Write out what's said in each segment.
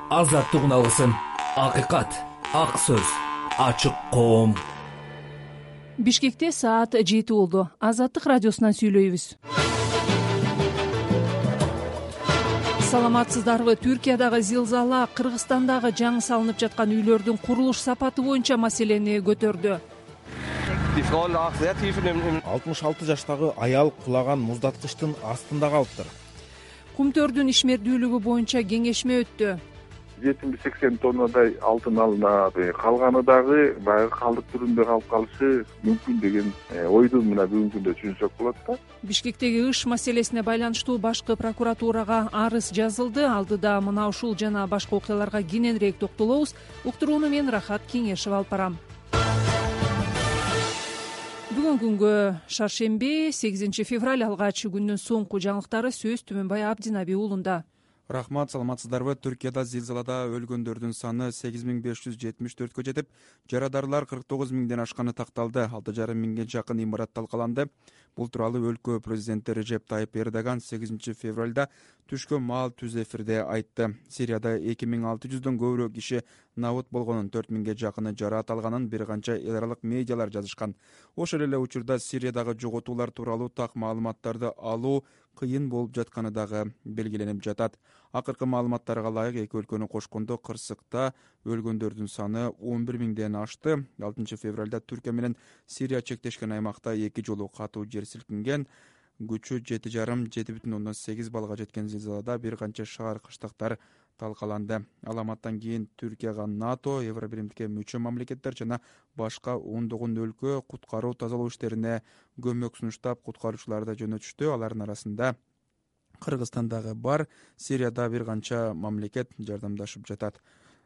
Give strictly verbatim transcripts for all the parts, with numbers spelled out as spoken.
азаттык үналысын, акыйкат, ак сөз, ачык коом. Бишкекте саат жети болду. Азаттык радиосунан сүйлөйбүз. Саламатсыздарбы? Түркиядагы зилзала Кыргызстандагы жаңы салынып жаткан үйлөрдүн курулуш сапаты боюнча маселени көтөрдү. алтымыш алты жаштагы аял кулаган муздаткычтын астында калыптыр. Кумтөрдүн ишмердүүлүгү боюнча кеңешме өттү. жетимиш сексен тоннадай алтын алынат, калганы дагы баягы калдык түрүндө калып калышы мүмкүн деген ойду мына бүгүнкү күндө түшүнсөк болот да. Бишкектеги ыш маселесине байланыштуу башкы прокуратурага арыз жазылды. Алдыда мына ушул жана башка окуяларга кененирээк токтолобуз. Уктурууну мен Рахат Кеңешева алып барам. Бүгүнкү күнгө шаршемби, сегизинчи февраль, алгач күндүн соңку жаңылыктары сөз Түмөнбай Абдинаби уулунда. Рахмат, саламатсыздарбы? Түркияда зилзалада өлгөндөрдүн саны сегиз миң беш жүз жетимиш төрткө жетип, жарадарлар кырк тогуз миңден ашканы такталды. алты жарым миңге жакын имарат талкаланды. Бул тууралуу өлкө президенти Режеп Тайып Эрдоган сегизинчи февралда түшкө маал түз эфирде айтты. Сирияда эки миң алты жүздөн көбүрөөк киши набыт болгонун, төрт миңге жакыны жараат алганын бир канча эл аралык медиалар жазышкан. Ошол эле учурда Сириядагы жоготуулар тууралуу так маалыматтарды алуу кыйын болуп жатканы дагы белгиленип жатат. Акыркы маалыматтарга ылайык эки өлкөнү кошкондо Кырсыкта өлгөндөрдүн саны он бир миңден ашты. алтынчы февралда Түркия менен Сирия чектешкен аймакта эки жолу катуу жер силкинген. Күчү жети жарым жети бүтүн ондон сегиз баллга жеткен зилзалада бир канча шаар кыштактар талкаланды. Аламаттан кийин Түркияга НАТО, Евробиримдикке мүчө мамлекеттер жана башка ондогон өлкө куткаруу тазалоо иштерине көмөк сунуштап, куткаруучуларды жөнөтүштү. Алардын арасында Кыргызстан дагы бар. Сирияда бир канча мамлекет жардамдашып жатат.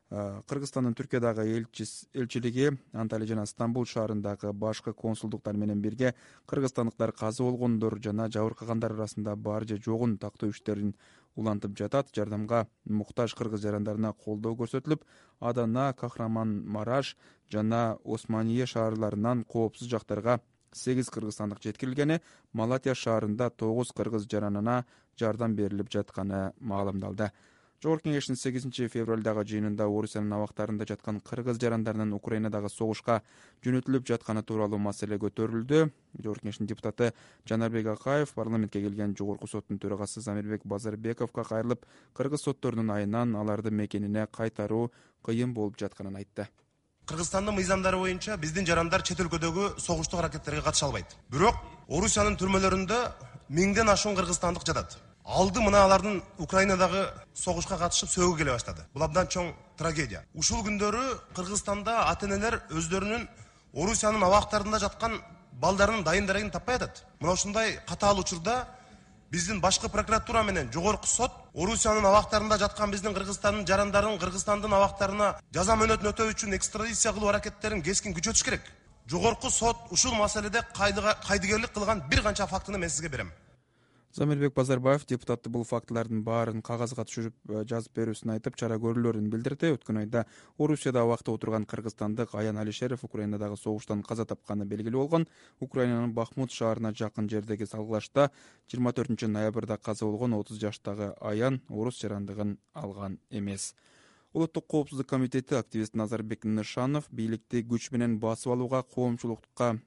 Кыргызстандын Түркиядагы элчилиги Анталия жана Стамбул шаарындагы башкы консулдуктар менен бирге кыргызстандыктар каза болгондор жана жабыркагандар арасында бар же жогун тактоо иштерин улантып жатат. Жардамга муктаж кыргыз жарандарына колдоо көрсөтүлүп, Адана, Кахраманмараш жана Османие шаарларынан коопсуз жактарга сегиз кыргызстандык жеткирилгени, Малатия шаарында тогуз кыргыз жаранына жардам берилип жатканы маалымдалды. Жогорку кеңештин сегизинчи февралдагы жыйынында Орусиянын абактарында жаткан кыргыз жарандарынын Украинадагы согушка жөнөтүлүп жатканы тууралуу маселе көтөрүлдү. Жогорку кеңештин депутаты Жанарбек Акаев парламентке келген жогорку соттун төрагасы Замирбек Базарбековго кайрылып, кыргыз сотторунун айынан аларды мекенине кайтаруу кыйын болуп жатканын айтты. Кыргызстандын мыйзамдары боюнча биздин жарандар чет өлкөдөгү согуштук аракеттерге катыша албайт. Бирок Орусиянын түрмөлөрүндө миңден ашуун кыргызстандык жатат. Алды мына алардын Украинадагы согушка катышып сөөгө келе баштады. Бул абдан чоң трагедия. Ушул күндөрү Кыргызстанда ата-энелер өздөрүнүн Орусиянын абактарында жаткан балдарынын дайын дарегин таппай атат. Мына ушундай катаал учурда биздин башкы прокуратура менен жогорку сот Орусиянын абактарында жаткан биздин Кыргызстандын жарандарын Кыргызстандын абактарына жаза мөөнөтүн өтөө үчүн экстрадиция кылуу аракеттерин кескин күчөтүш керек. Жогорку сот ушул маселеде кайдыгерлик кылган бир канча фактыны мен сизге берем. Замирбек Базарбаев депутатты бул фактылардын баарын кагазга түшүрүп жазып берүүсүн айтып, чара көрүүлөрүн билдирди. Өткөн айда Орусияда абакта отурган кыргызстандык Аян Алишеров Украинадагы согуштан каза тапканы белгилүү болгон. Украинанын Бахмут шаарына жакын жердеги салгылашта жыйырма төртүнчү ноябрда каза болгон отуз жаштагы Аян орус жарандыгын алган эмес. Улуттук коопсуздук комитети активист Назарбек Нышанов бийликти күч менен басып алууга коомчулукка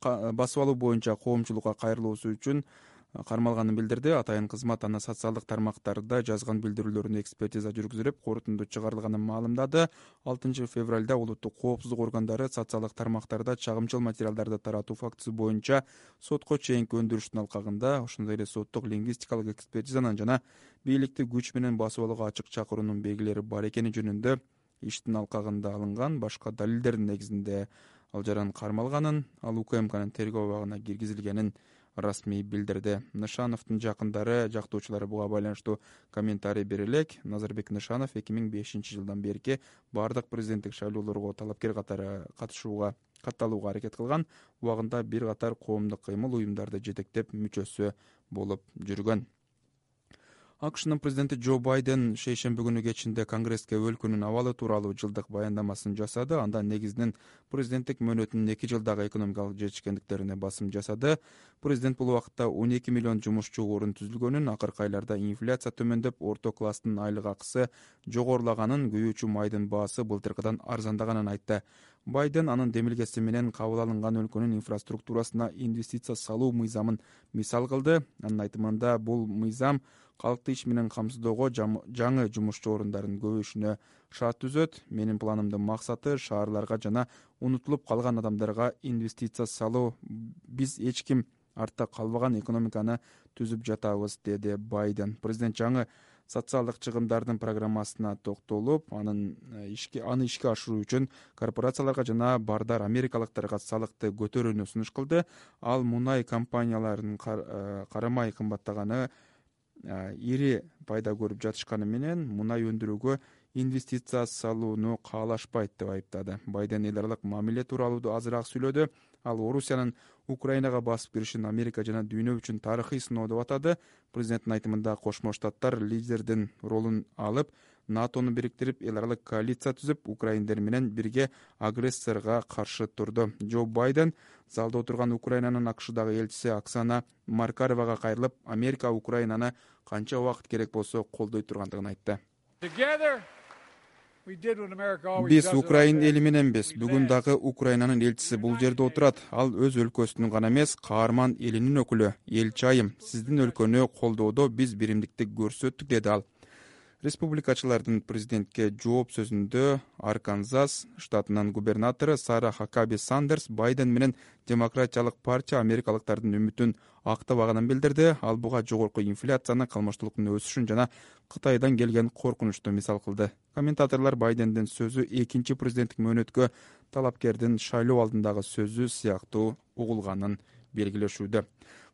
басып алуу боюнча коомчулукка кайрылуусу үчүн кармалганын билдирди. Атайын кызмат аны социалдык тармактарда жазган билдирүүлөрүнө экспертиза жүргүзүлүп, корутунду чыгарылганын маалымдады. алтынчы февралда улуттук коопсуздук органдары социалдык тармактарда чагымчыл материалдарды таратуу фактысы боюнча сотко чейинки өндүрүштүн алкагында, ошондой эле соттук лингвистикалык экспертизанын жана бийликти күч менен басып алууга ачык чакыруунун белгилери бар экени жөнүндө иштин алкагында алынган башка далилдердин негизинде ал жаран кармалганын, ал УКМКнын тергөө абагына киргизилгенин расмий билдирди. Нышановдун жакындары, жактоочулары буга байланыштуу комментарий бере элек. Назарбек Нышанов эки миң бешинчи жылдан берки бардык президенттик шайлоолорго талапкер катары катышууга катталууга аракет кылган. Убагында бир катар коомдук кыймыл уюмдарды жетектеп мүчөсү болуп жүргөн. акшнын президенти Джо Байден шейшемби күнү кечинде Конгресске өлкөнүн абалы тууралуу жылдык баяндамасын жасады. Анда негизинен президенттик мөөнөтүнүн эки жылдагы экономикалык жетишкендиктерине басым жасады. Президент бул убакытта он эки миллион жумушчу орун түзүлгөнүн, акыркы айларда инфляция төмөндөп, орто класстын айлык акысы жогорулаганын, күйүүчү майдын баасы былтыркыдан арзандаганын айтты. Байден анын демилгеси менен кабыл алынган өлкөнүн инфраструктурасына инвестиция салуу мыйзамын мисал кылды. Анын айтымында бул мыйзам калкты иш менен камсыздоого, жаңы жумушчу орундардын көбөйүшүнө шарт түзөт. Менин планымдын максаты шаарларга жана унутулуп калган адамдарга инвестиция салуу. Биз эч ким артта калбаган экономиканы түзүп жатабыз, деди Байден. Президент жаңы социалдык чыгымдардын программасына токтолуп, анын ишке аны ишке ашыруу үчүн корпорацияларга жана бардар америкалыктарга салыкты көтөрүүнү сунуш кылды. Ал мунай компанияларынын карамай кымбаттаганы, ири пайда көрүп жатышканы менен мунай өндүрүүгө инвестиция салууну каалашпайт деп айыптады. Байден эл аралык мамиле тууралуу азыраак сүйлөдү. Ал Орусиянын Украинага басып киришин Америка жана дүйнө үчүн тарыхый сыноо деп атады. Президенттин айтымында Кошмо Штаттар лидердин ролун алып, НАТОну бириктирип, эл аралык коалиция түзүп, украиндер менен бирге агрессорго каршы турду. Джо Байден залда отурган Украинанын акшдагы элчиси Оксана Маркаровага кайрылып, Америка Украинаны канча убакыт керек болсо колдой тургандыгын айтты. Биз Украин эли мененбиз. Бүгүн дагы Украинанын элчиси бул жерде отурат. Ал өз өлкөсүнүн гана эмес, каарман элинин өкүлү. Элчи айым, сиздин өлкөнү колдоодо биз биримдикти көрсөттүк, деди ал. Республикачылардын президентке жооп сөзүндө Арканзас штатынын губернатору Сара Хакаби Сандерс Байден менен Демократиялык партия америкалыктардын үмүтүн актабаганын билдирди. Ал буга жогорку инфляцияны, кылмыштуулуктун өсүшүн жана Кытайдан келген коркунучту мисал кылды. Комментаторлор Байдендин сөзү экинчи президенттик мөөнөткө талапкердин шайлоо алдындагы сөзү сыяктуу угулганын белгилешүүдө.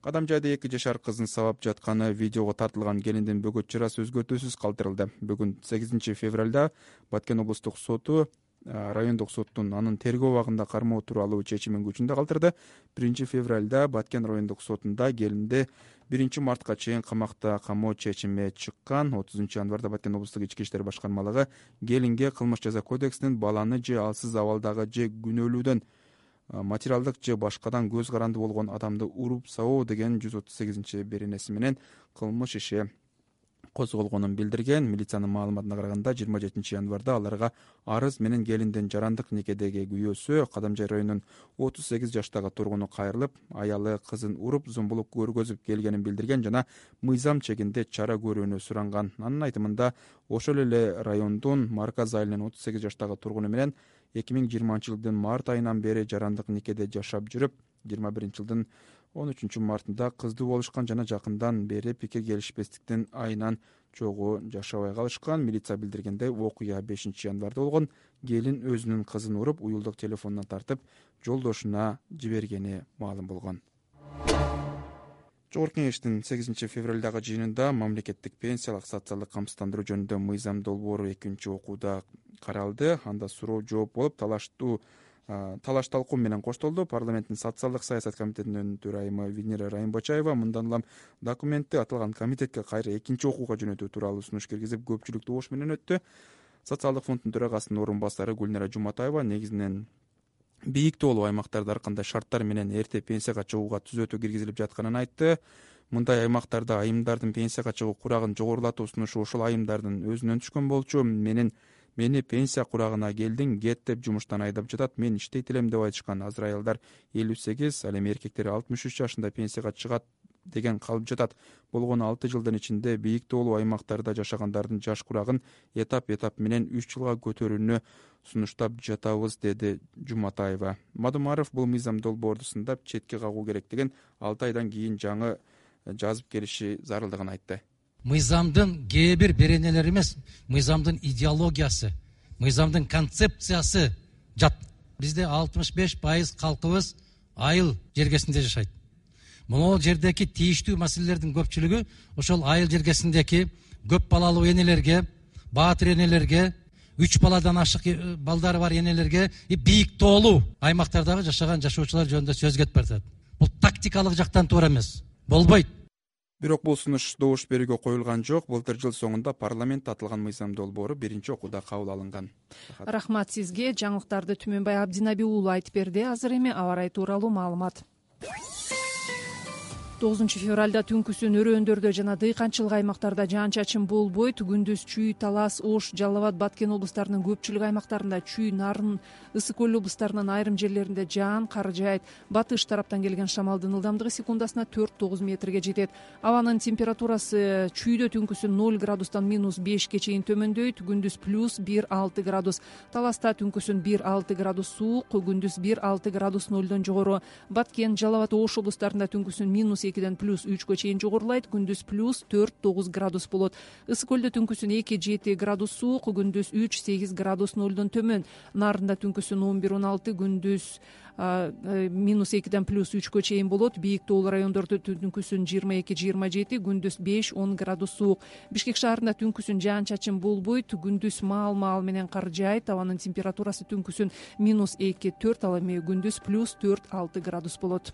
Кадам жайда эки жашар кызын сабап жатканы видеого тартылган келиндин бөгөт чырасы өзгөртүүсүз калтырылды. Бүгүн сегизинчи февралда Баткен облустук соту райондук соттун анын тергөө убагында кармоо тууралуу чечимин күчүндө калтырды. биринчи февралда Баткен райондук сотунда келинди биринчи мартка чейин камакта камоо чечими чыккан. отузунчу январда Баткен облустук ички иштер башкармалыгы келинге кылмыш жаза кодексинин баланы же алсыз абалдагы же күнөөлүүдөн материалдык же башкадан көз каранды болгон адамды уруп сабоо деген жүз отуз сегизинчи беренеси менен кылмыш иши козголгонун билдирген. Милициянын маалыматына караганда жыйырма жетинчи январда аларга арыз менен келиндин жарандык никедеги күйөөсү Кадамжай районунун отуз сегиз жаштагы тургуну кайрылып, аялы кызын уруп, зомбулук көргөзүп келгенин билдирген жана мыйзам чегинде чара көрүүнү суранган. Анын айтымында ошол эле райондун Марказ айылынын отуз сегиз жаштагы тургуну менен эки миң жыйырманчы жылдын март айынан бери жарандык никеде жашап жүрүп, жыйырма биринчи жылдын он үчүнчү мартында кыздуу болушкан жана жакындан бери пикир келишпестиктин айынан чогуу жашабай калышкан. Милиция билдиргендей, окуя бешинчи январда болгон. Келин өзүнүн кызын уруп, уюлдук телефонунан тартып, жолдошуна жибергени маалым болгон. Жогорку Кеңештин сегизинчи февралдагы жыйынында мамлекеттик пенсиялык социалдык камсыздандыруу жөнүндө мыйзам долбоору экинчи окууда каралды. Анда суроо жооп болуп, талаштуу талаш талкуу менен коштолду. Парламенттин социалдык саясат комитетинин төрайымы Венера Райымбачаева мындан улам документти аталган комитетке кайра экинчи окууга жөнөтүү тууралуу сунуш киргизип, көпчүлүктүү ош менен өттү. Социалдык фонддун төрагасынын орун басары Гүлнара Жуматаева негизинен бийик тоолуу аймактарда ар кандай шарттар менен эрте пенсияга чыгууга түзөтүү киргизилип жатканын айтты. Мындай аймактарда айымдардын пенсияга чыгуу курагын жогорулатуу сунушу ошол айымдардын өзүнөн түшкөн болчу. Менин Мени пенсия курагына келдиң, кет деп жумуштан айдап жатат, мен иштейт элем деп айтышкан. Азыр аялдар элүү сегиз, ал эми эркектер алтымыш үч жашында пенсияга чыгат деген калып жатат. Болгону алты жылдын ичинде бийик тоолуу аймактарда жашагандардын жаш курагын этап-этап менен үч жылга көтөрүүнү сунуштап жатабыз, деди Жуматаева. Мадумаров бул мыйзам долбоорду сындап четке кагуу керектигин, алты айдан кийин жаңы жазып келиши зарылдыгын айтты. Мыйзамдын кээ бир беренелери эмес, мыйзамдын идеологиясы, мыйзамдын концепциясы жат. Бизде алтымыш беш пайыз калкыбыз айыл жергесинде жашайт. Могул жердеки тийиштүү маселелердин көпчүлүгү ошол айыл жергесиндеки көп балалуу энелерге, баатыр энелерге, үч баладан ашык балдары бар энелерге и бийик тоолуу аймактардагы жашаган жашоочулар жөнүндө сөз кетип баратат. Бул тактикалык жактан туура эмес. Болбойт. Бирок бул сунуш добуш берүүгө коюлган жок. Былтыр жыл соңунда парламент атылган мыйзам долбоору биринчи окууда кабыл алынган. Рахмат сизге. Жаңылыктарды Түмөнбай Абдинаби уулу айтып берди. Азыр эми аба ырайы тууралуу маалымат. тогузунчу февралда түнкүсүн өрөөндөрдө жана дыйканчылык аймактарда жаан-чачын болбойт. Күндүз Чүй, Талас, Ош, Жалал Абад, Баткен облустарынын көпчүлүк аймактарында, Чүй, Нарын, Ысык көл облустарынын айрым жерлеринде жаан кар жаайт. Батыш тараптан келген шамалдын ылдамдыгы секундасына төрт тогуз метрге жетет. Абанын температурасы Чүйдө түнкүсүн ноль градустан минус бешке чейин төмөндөйт. Күндүз плюс бир алты градус. Таласта түнкүсүн бир алты градус суук, күндүз бир алты градус нолдон жогору. Баткен, Жалал Абад, Ош облустарында түнкүсүн минус экиден плюс үчкө чейин жогорулайт. Күндүз плюс төрт тогуз градус болот. Ысык көлдө түнкүсүн эки жети градус суук, күндүз үч сегиз градус нолдон төмөн. Нарында түнкүсүн он бир он алты, күндүз минус экиден плюс үчкө чейин болот. Бийик тоолуу райондордо түнкүсүн жыйырма эки жыйырма жети, күндүз беш он градус суук. Бишкек шаарында түнкүсүн жаан-чачын болбойт. Күндүз маал-маал менен кар жаайт. Абанын температурасы түнкүсүн минус эки төрт, ал эми күндүз плюс төрт алты градус болот.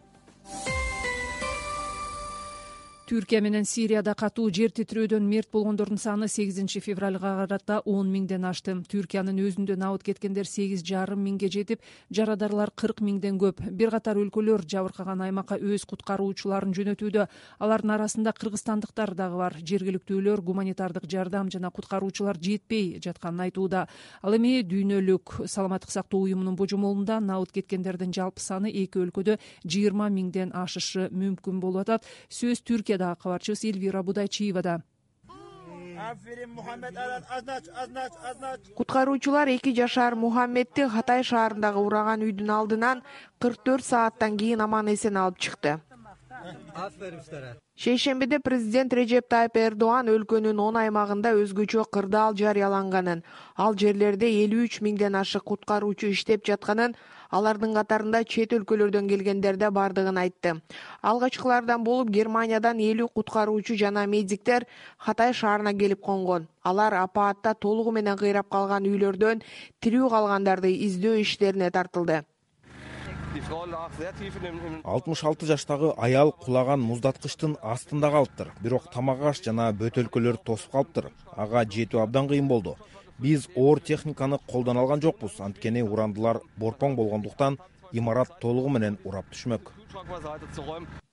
Түркия менен Сирияда катуу жер титирөөдөн мерт болгондордун саны сегизинчи февралга карата он миңден ашты. Түркиянын өзүндө набыт кеткендер сегиз жарым миңге жетип, жарадарлар кырк миңден көп. Бир катар өлкөлөр жабыркаган аймакка өз куткаруучуларын жөнөтүүдө. Алардын арасында кыргызстандыктар дагы бар. Жергиликтүүлөр гуманитардык жардам жана куткаруучулар жетпей жатканын айтууда. Ал эми Дүйнөлүк саламаттык сактоо уюмунун божомолунда набыт кеткендердин жалпы саны эки өлкөдө жыйырма миңден ашышы мүмкүн болуп атат. Сөз Түркия кабарчыбыз Эльвира Будайчиевада. Куткаруучулар эки жашар Мухаммедти Хатай шаарындагы ураган үйдүн алдынан кырк төрт сааттан кийин аман эсен алып чыкты. Шейшембиде президент Режеп Тайып Эрдоан өлкөнүн он аймагында өзгөчө кырдаал жарыяланганын, ал жерлерде элүү үч миңден ашык куткаруучу иштеп жатканын, алардын катарында чет өлкөлөрдөн келгендер да бардыгын айтты. Алгачкылардан болуп Германиядан элүү куткаруучу жана медиктер Хатай шаарына келип конгон. Алар апаатта толугу менен кыйрап калган үйлөрдөн тирүү калгандарды издөө иштерине тартылды. алтымыш алты жаштагы аял кулаган муздаткычтын астында калыптыр. Бирок тамак аш жана бөтөлкөлөр тосуп калыптыр. Ага жетүү абдан кыйын болду. Биз оор техниканы колдоно алган жокпуз, анткени урандылар борпоң болгондуктан имарат толугу менен урап түшмөк,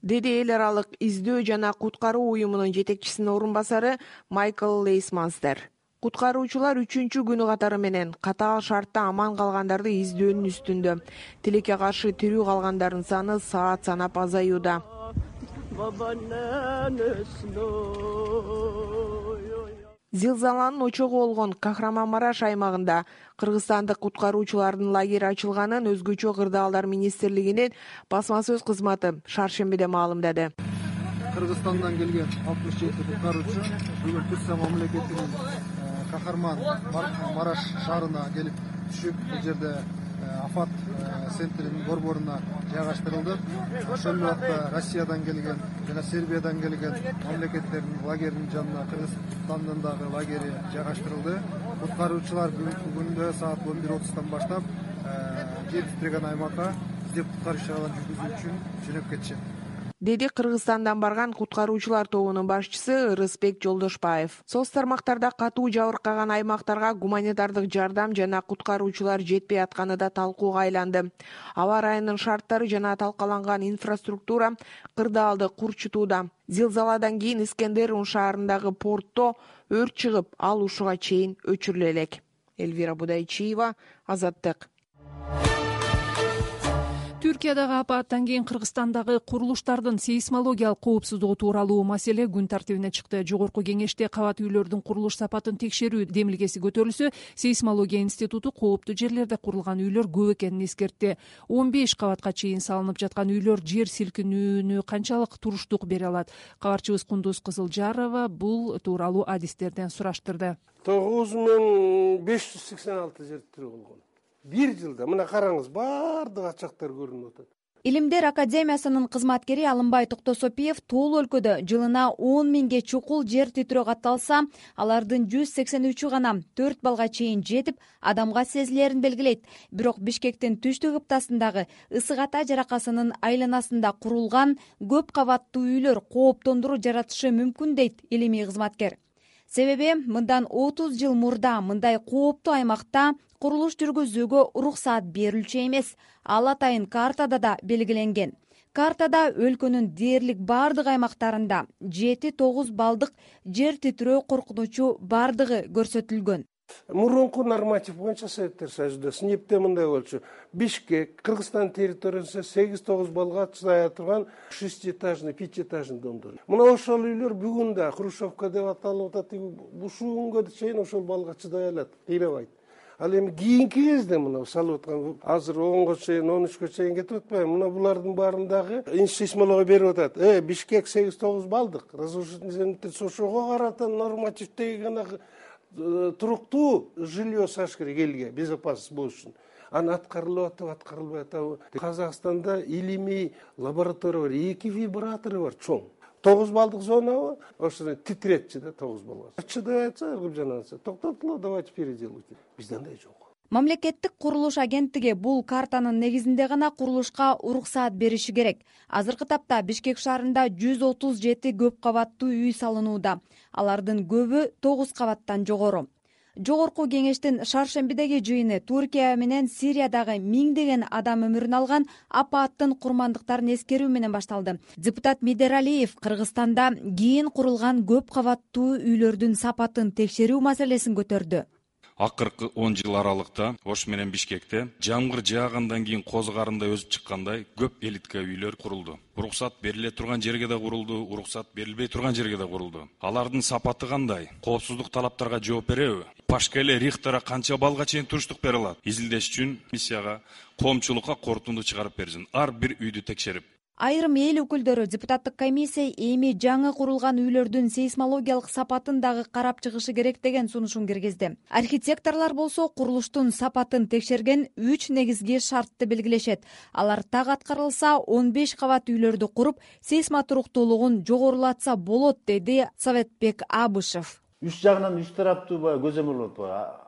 деди эл аралык издөө жана куткаруу уюмунун жетекчисинин орун басары Майкл Лейсманстер. Куткаруучулар үчүнчү күнү катары менен катаал шартта аман калгандарды издөөнүн үстүндө. Тилекке каршы тирүү калгандардын саны саат санап азаюуда. Зилзаланын очогу болгон Кахраманмараш аймагында кыргызстандык куткаруучулардын лагери ачылганын өзгөчө кырдаалдар министрлигинин басма сөз кызматы шаршембиде маалымдады. Кыргызстандан келген алтымыш жети куткаруучу бүгүн Түркия мамлекетинин Кахарман-Мараш шаарына келип түшүп, бул жерде Афат центринин борборуна жайгаштырылды. Ошол убакта Россиядан келген жана Сербиядан келген мамлекеттердин лагеринин жанына Кыргызстандын дагы лагери жайгаштырылды. Куткаруучулар бүгүнкү күндө саат он бир отуздан баштап жер титиреген аймакка издеп куткаруу иш-чараларын жүргүзүү үчүн жөнөп кетишет, деди Кыргызстандан барган куткаруучулар тобунун башчысы Ырысбек Жолдошбаев. Соц тармактарда катуу жабыркаган аймактарга гуманитардык жардам жана куткаруучулар жетпей атканы да талкууга айланды. Аба ырайынын шарттары жана талкаланган инфраструктура кырдаалды курчутууда. Зилзаладан кийин Искендерун шаарындагы портто өрт чыгып, ал ушуга чейин өчүрүлө элек. Эльвира Будайчиева, Азаттык. Түркиядагы апааттан кийин Кыргызстандагы курулуштардын сейсмологиялык коопсуздугу тууралуу маселе күн тартибине чыкты. Жогорку кеңеште кабат үйлөрдүн курулуш сапатын текшерүү демилгеси көтөрүлсө, сейсмология институту кооптуу жерлерде курулган үйлөр көп экенин эскертти. он беш кабатка чейин салынып жаткан үйлөр жер силкинүүнү канчалык туруштук бере алат? Кабарчыбыз Кундуз Кызылжарова бул тууралуу адистерден сураштырды. тогуз миң беш жүз сексен алты жер титирөө болгон. Бир жылда мына караңыз, баардык ачактар көрүнүп атат. Илимдер академиясынын кызматкери Алымбай Токтосопиев тоол өлкөдө жылына он миңге чукул жер титирөө катталса, алардын жүз сексен үчү гана төрт балга чейин жетип, адамга сезилерин белгилейт. Бирок Бишкектин түштүк ыптасындагы Ысык Ата жаракасынын айланасында курулган көп кабаттуу үйлөр кооптондуруу жаратышы мүмкүн дейт илимий кызматкер. Себеби мындан отуз жыл мурда мындай кооптуу аймакта курулуш жүргүзүүгө уруксаат берилчү эмес. Ал атайын картада да белгиленген. Картада өлкөнүн дээрлик бардык аймактарында жети тогуз балдык жер титирөө коркунучу бардыгы көрсөтүлгөн. Мурунку норматив боюнча Советтер Союзунда снипте мындай болчу. Бишкек, Кыргызстан территориясында сегиз тогуз балга чыдай турган шестиэтажный, пятиэтажный домдор. Мына ошол үйлөр бүгүн да Хрущевка деп аталып атат. Ушул күнгө чейин ошол балга чыдай алат, кыйнабайт. Ал эми кийинки кезде мына салып аткан азыр онго чейин, он үчкө чейин кетип атпайбы? Мына булардын баарындагы сейсмология берип атат. Э, Бишкек сегиз тогуз балдык. Разрушительный ошого карата нормативдеги гана туруктуу жилье саш керек элге, безопасность болуш үчүн. Аны аткарылып атабы, аткарылбай атабы. Казакстанда илимий лаборатория бар, эки вибратору бар, чоң. тогуз балдык зонабы, ошону титиретчи да тогуз балга. Чыдай атса, ыргып жанатса, токтотулу, давайте переделывайте. Бизде андай жок. Мамлекеттик курулуш агенттиги бул картанын негизинде гана курулушка уруксаат бериши керек. Азыркы тапта Бишкек шаарында жүз отуз жети көп кабаттуу үй салынууда. Алардын көбү тогуз кабаттан жогору. Жогорку кеңештин шаршембидеги жыйыны Туркия менен Сириядагы миңдеген адам өмүрүн алган апааттын курмандыктарын эскерүү менен башталды. Депутат Медералиев Кыргызстанда кийин курулган көп кабаттуу үйлөрдүн сапатын текшерүү маселесин көтөрдү. Акыркы он жыл аралыкта Ош менен Бишкекте жамгыр жаагандан кийин коз карындай өсүп чыккандай көп элитка үйлөр курулду. Уруксат бериле турган жерге да курулду, уруксат берилбей турган жерге да курулду. Алардын сапаты кандай? Коопсуздук талаптарга жооп береби? Пашкеле Рихтера канча балга чейин туруштук бере алат? Изилдеш үчүн миссияга коомчулукка корутунду чыгарып берсин. Ар бир үйдү текшерип. Айрым эл өкүлдөрү депутаттык комиссия эми жаңы курулган үйлөрдүн сейсмологиялык сапатын дагы карап чыгышы керек деген сунушун киргизди. Архитекторлор болсо курулуштун сапатын текшерген үч негизги шартты белгилешет. Алар так аткарылса он беш кабат үйлөрдү куруп, сейсма туруктуулугун жогорулатса болот, деди Советбек Абышев. Үч жагынан үч тараптуу көзөмөл болот.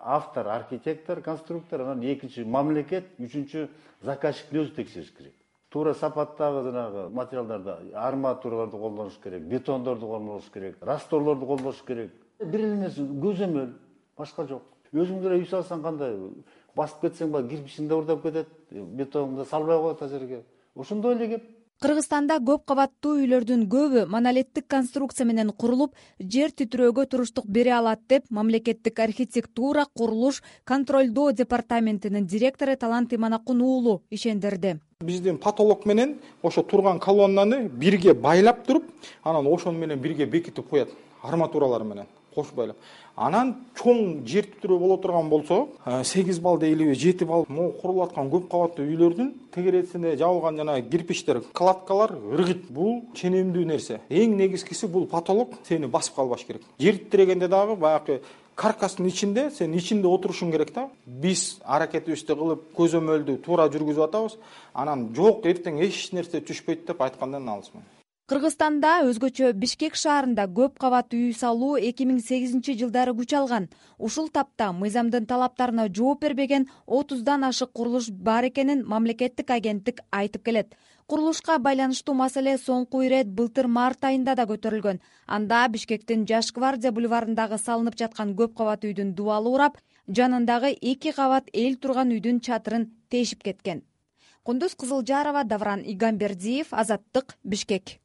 Автор, архитектор, конструктор, анан экинчи мамлекет, үчүнчү заказчиктин өзү текшериш керек. Туура сапаттагы жанагы материалдарды, арматураларды колдонуш керек, бетондорду колдонуш керек, расторлорду колдонуш керек. Бир эле нерсе көзөмөл, башка жок. Өзүң эле үй салсаң кандай, басып кетсең ба кирпичиңде урдап кетет, бетонду салбай коет а жерге. Ошондой эле кеп. Кыргызстанда көп кабаттуу үйлөрдүн көбү монолиттик конструкция менен курулуп, жер титирөөгө туруштук бере алат деп мамлекеттик архитектура, курулуш, контролдоо департаментинин директору Талант Иманакун уулу ишендирди. Биздин потолок менен ошо турган колоннаны бирге байлап туруп, анан ошону менен бирге бекитип коет, арматуралар менен кошуп байлап. Анан чоң жер титирөө боло турган болсо, сегиз балда эле жети бал могу курулуп аткан көп кабаттуу үйлөрдүн тегересине жабылган жана кирпичтер, кладкалар ыргыт. Бул ченемдүү нерсе. Эң негизгиси бул потолок сени басып калбаш керек. Жер титирегенде дагы баягы каркастын ичинде, сен ичинде отурушуң керек да. Биз аракетибизди кылып, көзөмөлдү туура жүргүзүп атабыз. Анан жок, эртең эч нерсе түшпөйт деп айткандан алысмын. Кыргызстанда өзгөчө Бишкек шаарында көп кабат үй салуу эки миң сегизинчи жылдары күч алган. Ушул тапта мыйзамдын талаптарына жооп бербеген отуздан ашык курулуш бар экенин мамлекеттик агенттик айтып келет. Курулушка байланыштуу маселе соңку ирет былтыр март айында да көтөрүлгөн. Анда Бишкектин Жаш гвардия бульварындагы салынып жаткан көп кабат үйдүн дубалы урап, жанындагы эки кабат эл турган үйдүн чатырын тешип кеткен. Кундуз Кызылжарова, Давран Игамбердиев, Азаттык, Бишкек.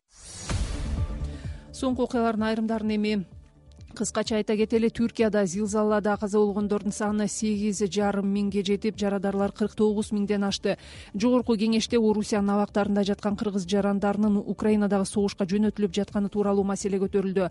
Соңку окуялардын айрымдарын эми кыскача айта кетели. Түркияда зилзалада каза болгондордун саны сегиз жарым миңге жетип, жарадарлар кырк тогуз миңден ашты. Жогорку кеңеште Орусиянын абактарында жаткан кыргыз жарандарынын Украинадагы согушка жөнөтүлүп жатканы тууралуу маселе көтөрүлдү.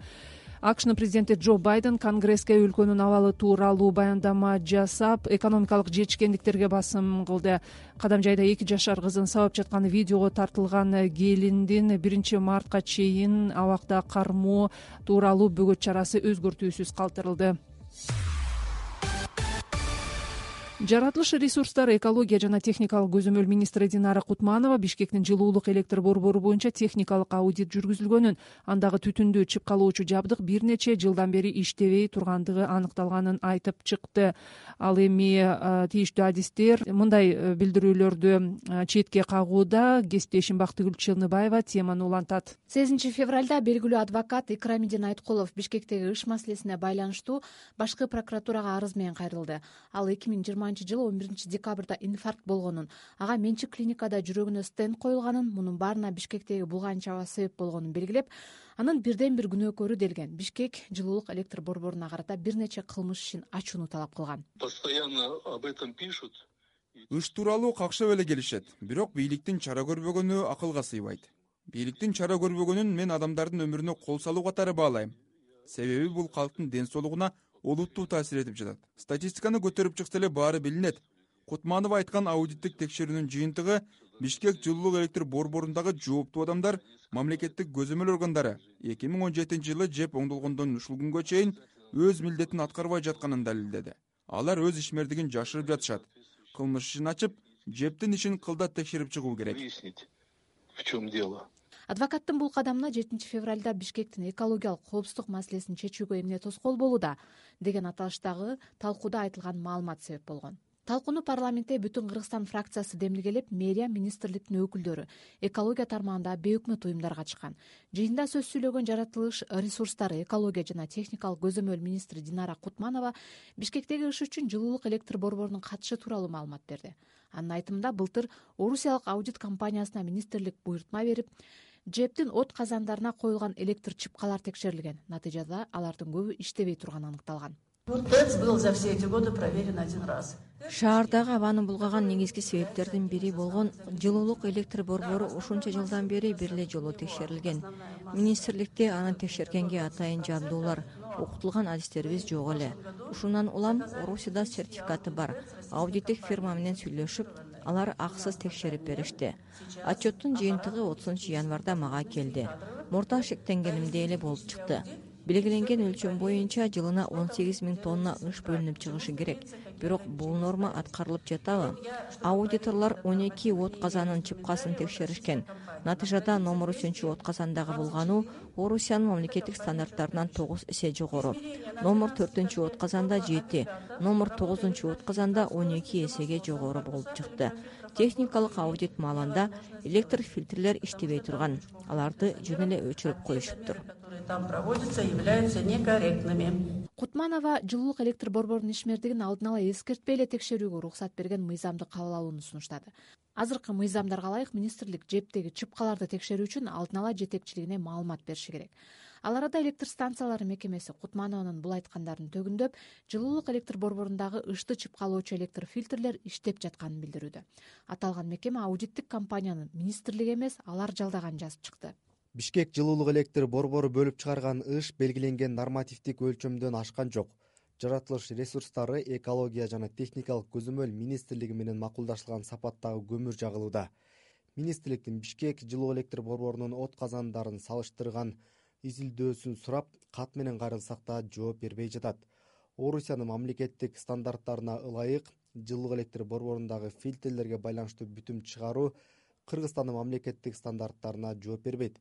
АКШнын президенти Джо Байден Конгресске өлкөнүн абалы тууралуу баяндама жасап, экономикалык жетишкендиктерге басым кылды. Кадам жайда эки жашар кызын сабап жатканы видеого тартылган келиндин биринчи мартка чейин абакта кармоо тууралуу бөгөт чарасы өзгөртүүсүз калтырылды. Жаратылыш ресурстары, экология жана техникалык көзөмөл министри Динара Кутманова Бишкектин жылуулук электр борбору боюнча техникалык аудит жүргүзүлгөнүн, андагы түтүндү чыпкалоочу жабдык бир нече жылдан бери иштебей тургандыгы аныкталганын айтып чыкты. Ал эми тийиштүү адистер мындай билдирүүлөрдү четке кагууда. Кесиптешим Бактыгүл Челныбаева теманы улантат. сегизинчи февралда белгилүү адвокат Икрамидин Айткулов Бишкектеги ыш маселесине байланыштуу башкы прокуратурага арыз менен кайрылды. Ал эки миң жыйырманчы жылы он биринчи декабрда инфаркт болгонун, ага менчик клиникада жүрөгүнө стенд коюлганын, мунун баарына Бишкектеги булган чаба себеп болгонун белгилеп, анын бирден бир күнөөкөрү делген Бишкек жылуулук электр борборуна карата бир нече кылмыш ишин ачууну талап кылган. Постоянно об этом пишут. Ыш тууралуу какшап эле келишет, бирок бийликтин чара көрбөгөнү акылга сыйбайт. Бийликтин чара көрбөгөнүн мен адамдардын өмүрүнө кол салуу катары баалайм. Себеби бул калктын ден соолугуна олуттуу таасир этип жатат. Статистиканы көтөрүп чыкса эле баары билинет. Кутманова айткан аудиттик текшерүүнүн жыйынтыгы Бишкек жылуулук электр борборундагы жооптуу адамдар, мамлекеттик көзөмөл органдары эки миң он жетинчи жылы жеп оңдолгондон ушул күнгө чейин өз милдетин аткарбай жатканын далилдеди. Алар өз ишмердигин жашырып жатышат. Кылмыш ишин ачып, жептин ишин кылдат текшерип чыгуу керек. В чем дело? Адвокаттын бул кадамына жетинчи февралда Бишкектин экологиялык коопсуздук маселесин чечүүгө эмне тоскоол болууда деген аталыштагы талкууда айтылган маалымат себеп болгон. Талкууну парламентте Бүтүн Кыргызстан фракциясы демилгелеп, мэрия, министрликтин өкүлдөрү, экология тармагында бейөкмөт уюмдар катышкан. Жыйында сөз сүйлөгөн жаратылыш ресурстары, экология жана техникалык көзөмөл министри Динара Кутманова Бишкектеги ыш үчүн жылуулук электр борборунун катышы тууралуу маалымат берди. Анын айтымында былтыр орусиялык аудит компаниясына министрлик буйрутма берип, жептин от казандарына коюлган электр чыпкалар текшерилген. Натыйжада алардын көбү иштебей турганы аныкталган. ТЭЦ был за все эти годы проверен один раз. Шаардагы абаны булгаган негизги себептердин бири болгон жылуулук электр борбору ушунча жылдан бери бир эле жолу текшерилген. Министрликте аны текшергенге атайын жабдуулар, окутулган адистерибиз жок эле. Ушундан улам Орусияда сертификаты бар. Аудиттик фирма менен сүйлөшүп, алар акысыз текшерип беришти. Отчеттун жыйынтыгы отузунчу январда мага келди. Мурда шектенгенимдей эле болуп чыкты. Белгиленген өлчөм боюнча жылына он сегиз миң тонна ыш бөлүнүп чыгышы керек. Бирок бул норма аткарылып жатабы? Аудиторлор он эки от казанын чыпкасын текшеришкен. Натыйжада номер үчүнчү от казандагы булгануу Орусиянын мамлекеттик стандарттарынан тогуз эсе жогору. Номер төртүнчү от казанда жети, номер тогузунчу от казанда он эки эсеге жогору болуп чыкты. Техникалык аудит маалында электр фильтрлер иштебей турган. Аларды жөн эле өчүрүп коюшуптур. Там проводятся, являются некорректными. Кутманова жылуулук электр борборунун ишмердигин алдын ала эскертпей эле текшерүүгө уруксат берген мыйзамды кабыл алууну сунуштады. Азыркы мыйзамдарга ылайык министрлик жептеги чыпкаларды текшерүү үчүн алдын ала жетекчилигине маалымат бериши керек. Ал арада электр станциялары мекемеси Кутманованын бул айткандарын төгүндөп, жылуулук электр борборундагы ышты чыпкалоочу электр фильтрлер иштеп жатканын билдирүүдө. Аталган мекеме аудиттик компаниянын министрлиги эмес, алар жалдаганын жазып чыкты. Бишкек жылуулук электр борбору бөлүп чыгарган ыш белгиленген нормативдик өлчөмдөн ашкан жок. Жаратылыш ресурстары, экология жана техникалык көзөмөл министрлиги менен макулдашылган сапаттагы көмүр жагылууда. Министрликтин Бишкек жылуу электр борборунун от казандарын салыштырган изилдөөсүн сурап, кат менен кайрылсак да жооп бербей жатат. Орусиянын мамлекеттик стандарттарына ылайык жылуу электр борборундагы фильтрлерге байланыштуу бүтүм чыгаруу Кыргызстандын мамлекеттик стандарттарына жооп бербейт.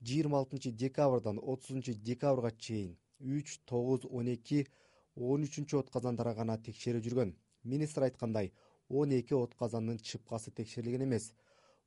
жыйырма алтынчы декабрдан отузунчу декабрга чейин үч, тогуз, он эки, он үчүнчү от казандара гана текшерүү жүргөн. Министр айткандай, он эки от казандын чыпкасы текшерилген эмес.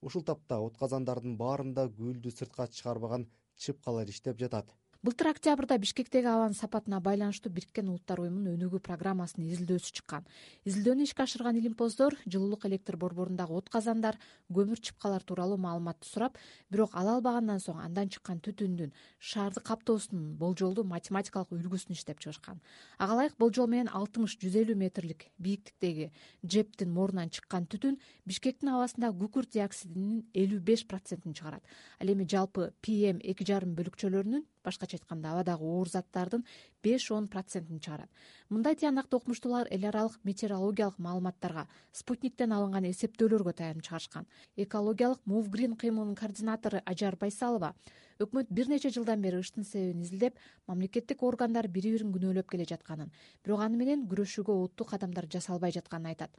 Ушул тапта от казандардын баарында гүлдү сыртка чыгарбаган чыпкалар иштеп жатат. Былтыр октябрда Бишкектеги абанын сапатына байланыштуу Бириккен Улуттар уюмунун өнүгүү программасынын изилдөөсү чыккан. Изилдөөнү ишке ашырган илимпоздор жылуулук электр борборундагы от казандар, көмүр чыпкалар тууралуу маалыматты сурап, бирок ала албагандан соң андан чыккан түтүндүн шаарды каптоосунун болжолдуу математикалык үлгүсүн иштеп чыгышкан. Ага ылайык болжол менен алтымыш жүз элүү метрлик бийиктиктеги жептин морунан чыккан түтүн Бишкектин абасында күкүрт диоксидинин элүү беш процентин чыгарат. Ал эми жалпы пи эм эки жарым бөлүкчөлөрүнүн, башкача айтканда абадагы оор заттардын беш он процентин чыгарат. Мындай тыянакты окумуштуулар эл аралык метеорологиялык маалыматтарга, спутниктен алынган эсептөөлөргө таянып чыгарышкан. Экологиялык Move Green кыймылынын координатору Ажар Байсалова өкмөт бир нече жылдан бери ыштын себебин изилдеп, мамлекеттик органдар бири бирин күнөөлөп келе жатканын, бирок аны менен күрөшүүгө олуттуу кадамдар жасалбай жатканын айтат.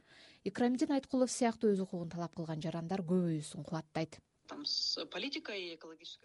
Икрамидин Айткулов сыяктуу өз укугун талап кылган жарандар көбөйүүсүн кубаттайт.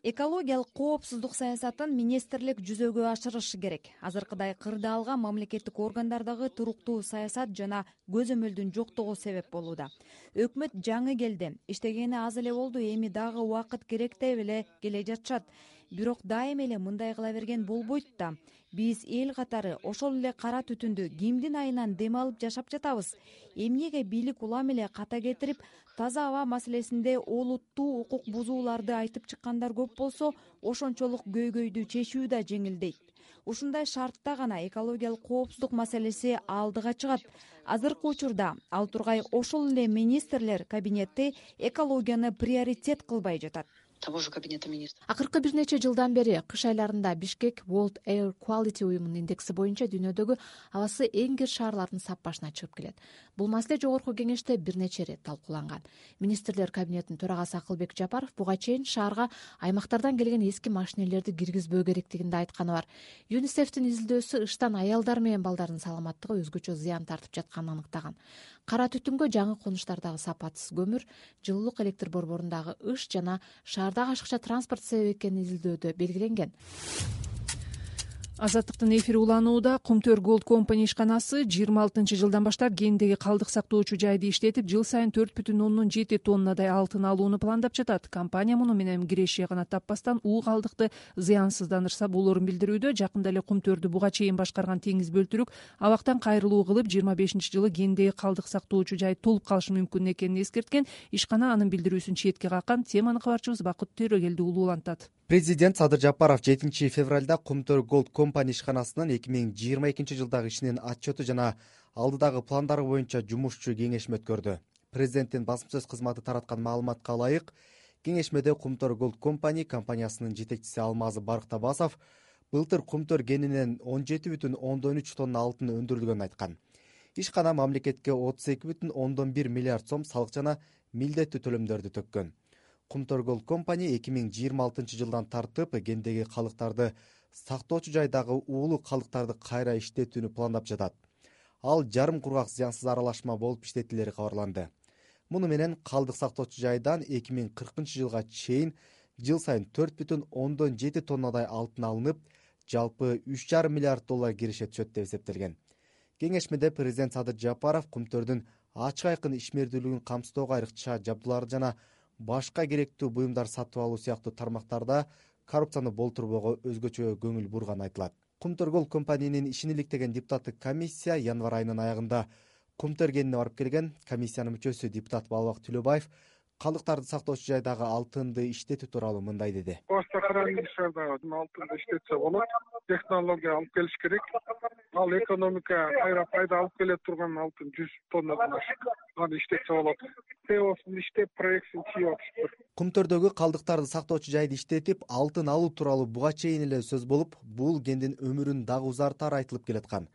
Экологиялык коопсуздук саясатын министрлик жүзөгө ашырышы керек. Азыркыдай кырдаалга мамлекеттик органдардагы туруктуу саясат жана көзөмөлдүн жоктугу себеп болууда. Өкмөт жаңы келди, иштегени аз эле болду, эми дагы убакыт керек деп эле келе жатышат. Бирок дайыма эле мындай кыла берген болбойт да. Биз эл катары ошол эле кара түтүндү кимдин айынан дем алып жашап жатабыз? Эмнеге бийлик улам эле ката кетирип, таза аба маселесинде олуттуу укук бузууларды айтып чыккандар көп болсо, ошончолук көйгөйдү чечүү да жеңилдейт. Ушундай шартта гана экологиялык коопсуздук маселеси алдыга чыгат. Азыркы учурда ал тургай ошол эле министрлер кабинети экологияны приоритет кылбай жатат. Того же кабинета министров. Акыркы бир нече жылдан бери кыш айларында Бишкек World Air Quality уюмунун индекси боюнча дүйнөдөгү абасы эң кир шаарлардын сап башына чыгып келет. Бул маселе жогорку кеңеште бир нече ирет талкууланган. Министрлер кабинетинин төрагасы Акылбек Жапаров буга чейин шаарга аймактардан келген эски машинелерди киргизбөө керектигинде айтканы бар. ЮНИСЕФтин изилдөөсү ыштан аялдар менен балдардын саламаттыгы өзгөчө зыян тартып жатканын аныктаган. Кара түтүнгө жаңы конуштардагы сапатсыз көмүр, жылуулук электр борборундагы ыш жана шаардагы ашыкча транспорт себеп экени изилдөөдө белгиленген. Азаттыктын эфири уланууда. Кумтөр Gold Company ишканасы жыйырма алтынчы жылдан баштап кендеги калдык сактоочу жайды иштетип, жыл сайын төрт бүтүн ондон жети тоннадай алтын алууну пландап жатат. Компания муну менен киреши гана таппастан уу калдыкты зыянсыздандырса болорун билдирүүдө. Жакында эле Кумтөрдү буга чейин башкарган теңиз бөлтүрүк абактан кайрылуу кылып, жыйырма бешинчи жылы кендеги калдык сактоочу жай толуп калышы мүмкүн экенин эскерткен. Ишкана анын билдирүүсүн четке каккан. Теманы кабарчыбыз Бакыт Төрөгелди улуулантат. Президент Садыр Жапаров жетинчи февралда Кумтөр Gold Company ишканасынын эки миң жыйырма экинчи жылдагы ишинин отчету жана алдыдагы пландары боюнча жумушчу кеңешме өткөрдү. Президенттин басма сөз кызматы тараткан маалыматка ылайык, кеңешмеде Кумтөр Gold Company компаниясынын жетекчиси Алмазы Барктабасов былтыр Кумтөр кенинен он жети бүтүн ондон үч тонна алтын өндүрүлгөнүн айткан. Ишкана мамлекетке отуз эки бүтүн ондон бир миллиард сом салык жана милдеттүү төлөмдөрдү төккөн. Кумтөр Gold Company эки миң жыйырма алтынчы жылдан тартып кендеги калдыктарды сактоочу жайдагы уулуу калдыктарды кайра иштетүүнү пландап жатат. Ал жарым кургак зыянсыз аралашма болуп иштетилери кабарланды. Муну менен калдык сактоочу жайдан эки миң кыркынчы жылга чейин жыл сайын төрт бүтүн ондон жети тоннадай алтын алынып, жалпы үч жарым миллиард доллар киреше түшөт деп эсептелген. Кеңешмеде президент Садыр Жапаров Кумтөрдүн ачык айкын ишмердүүлүгүн камсыздоого айрыкча жабдууларды жана башка керектүү буюмдар сатып алуу сыяктуу тармактарда коррупцияны болтурбоого өзгөчө көңүл бурганы айтылат. Кумтөр Gold Company'нин ишин иликтеген депутаттык комиссия январь айынын аягында Кумтөр кенине барып келген. Комиссиянын мүчөсү депутат Балбак Түлөбаев калдыктарды сактоочу жайдагы алтынды иштетүү тууралуу мындай деди. Башка шаардагы алтынды иштетсе болот. Технология алып келиш керек. Ал экономика кайра пайда алып келе турган алтын жүз тоннадан ашык. Аны иштетсе болот. Теосын иштеп, проектин чыйып атышты. Кумтөрдөгү калдыктарды сактоочу жайды иштетип, алтын алуу тууралуу буга чейин эле сөз болуп, бул кендин өмүрүн дагы узартары айтылып келаткан.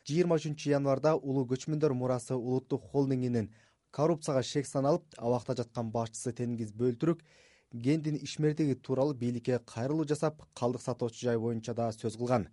жыйырма үчүнчү январда Улуу көчмөндөр мурасы улуттук холдингинин коррупцияга шек саналып, абакта жаткан башчысы Теңиз Бөлтүрүк кендин ишмердиги тууралуу бийликке кайрылуу жасап, калдык сатоочу жай боюнча да сөз кылган.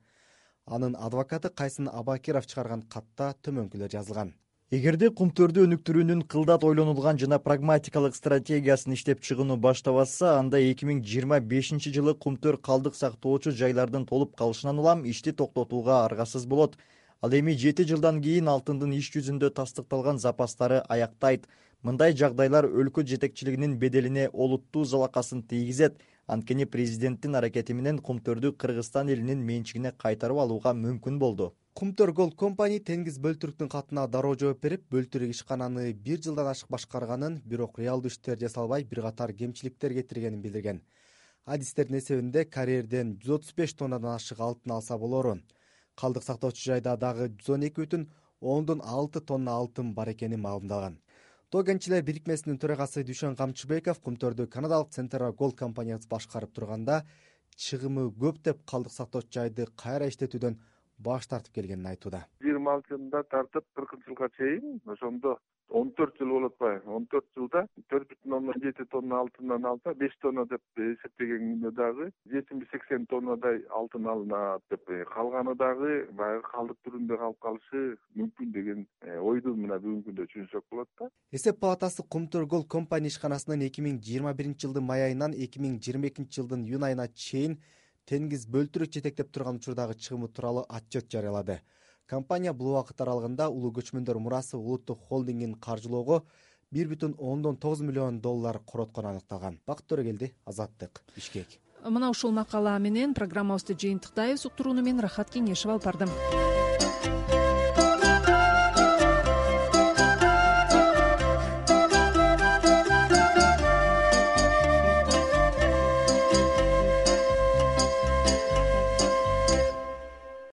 Анын адвокаты Кайсын Абакиров чыгарган катта төмөнкүлөр жазылган. Эгерде Кумтөрдү өнүктүрүүнүн кылдат ойлонулган жана прагматикалык стратегиясын иштеп чыгууну баштабаса, анда эки миң жыйырма бешинчи жылы Кумтөр калдык сактоочу жайлардын толуп калышынан улам ишти токтотууга аргасыз болот. Ал эми жети жылдан кийин алтындын иш жүзүндө тастыкталган запастары аяктайт. Мындай жагдайлар өлкө жетекчилигинин беделине олуттуу залакасын тийгизет. Анткени президенттин аракети менен Кумтөрдү Кыргызстан элинин менчигине кайтарып алууга мүмкүн болду. Кумтөр Gold Company Теңиз Бөлтүрүктүн катына дароо жооп берип, Бөлтүрүк ишкананы бир жылдан ашык башкарганын, бирок реалдуу иштер жасалбай, бир катар кемчиликтер кетиргенин билдирген. Адистердин эсебинде карьерден жүз отуз беш тоннадан ашык алтын алса болору. Калдык сактоочу жайда дагы жүз он эки бүтүн ондон алты тонна алтын бар экени маалымдалган. Тоо кенчилер бирикмесинин төрагасы Дүйшөн Камчыбеков Кумтөрдү канадалык Central Gold компаниясы башкарып турганда, чыгымы көп деп калдык сактоочу жайды кайра иштетүүдөн баш тартып келгенин айтууда. жыйырма алты жылында тартып кыркынчы жылга чейин ошондо он төрт жыл болуп атпайбы, он төрт жылда төрт бүтүн ондон жети тонна алтындан алса беш тонна деп эсептеген күндө дагы жетимиш сексен тоннадай алтын алынат деп, калганы дагы баягы калдык түрүндө калып калышы мүмкүн деген ойду мына бүгүнкү күндө түшүнсөк болот да. Эсеп палатасы Кумтөр компания ишканасынын эки миң жыйырма биринчи жылдын май айынан эки миң жыйырма экинчи жылдын июнь айына чейин теңиз бөлтүрүк жетектеп турган учурдагы чыгымы тууралуу отчет жарыялады. Компания бул убакыт аралыгында улуу көчмөндөр мурасы улуттук холдингин каржылоого бир бүтүн ондон тогуз миллион доллар короткон аныкталган. Бакыт Төрөгелди, Азаттык, Бишкек. Мына ушул макала менен программабызды жыйынтыктайбыз. Уктурууну мен Рахат Кеңешева алып бардым.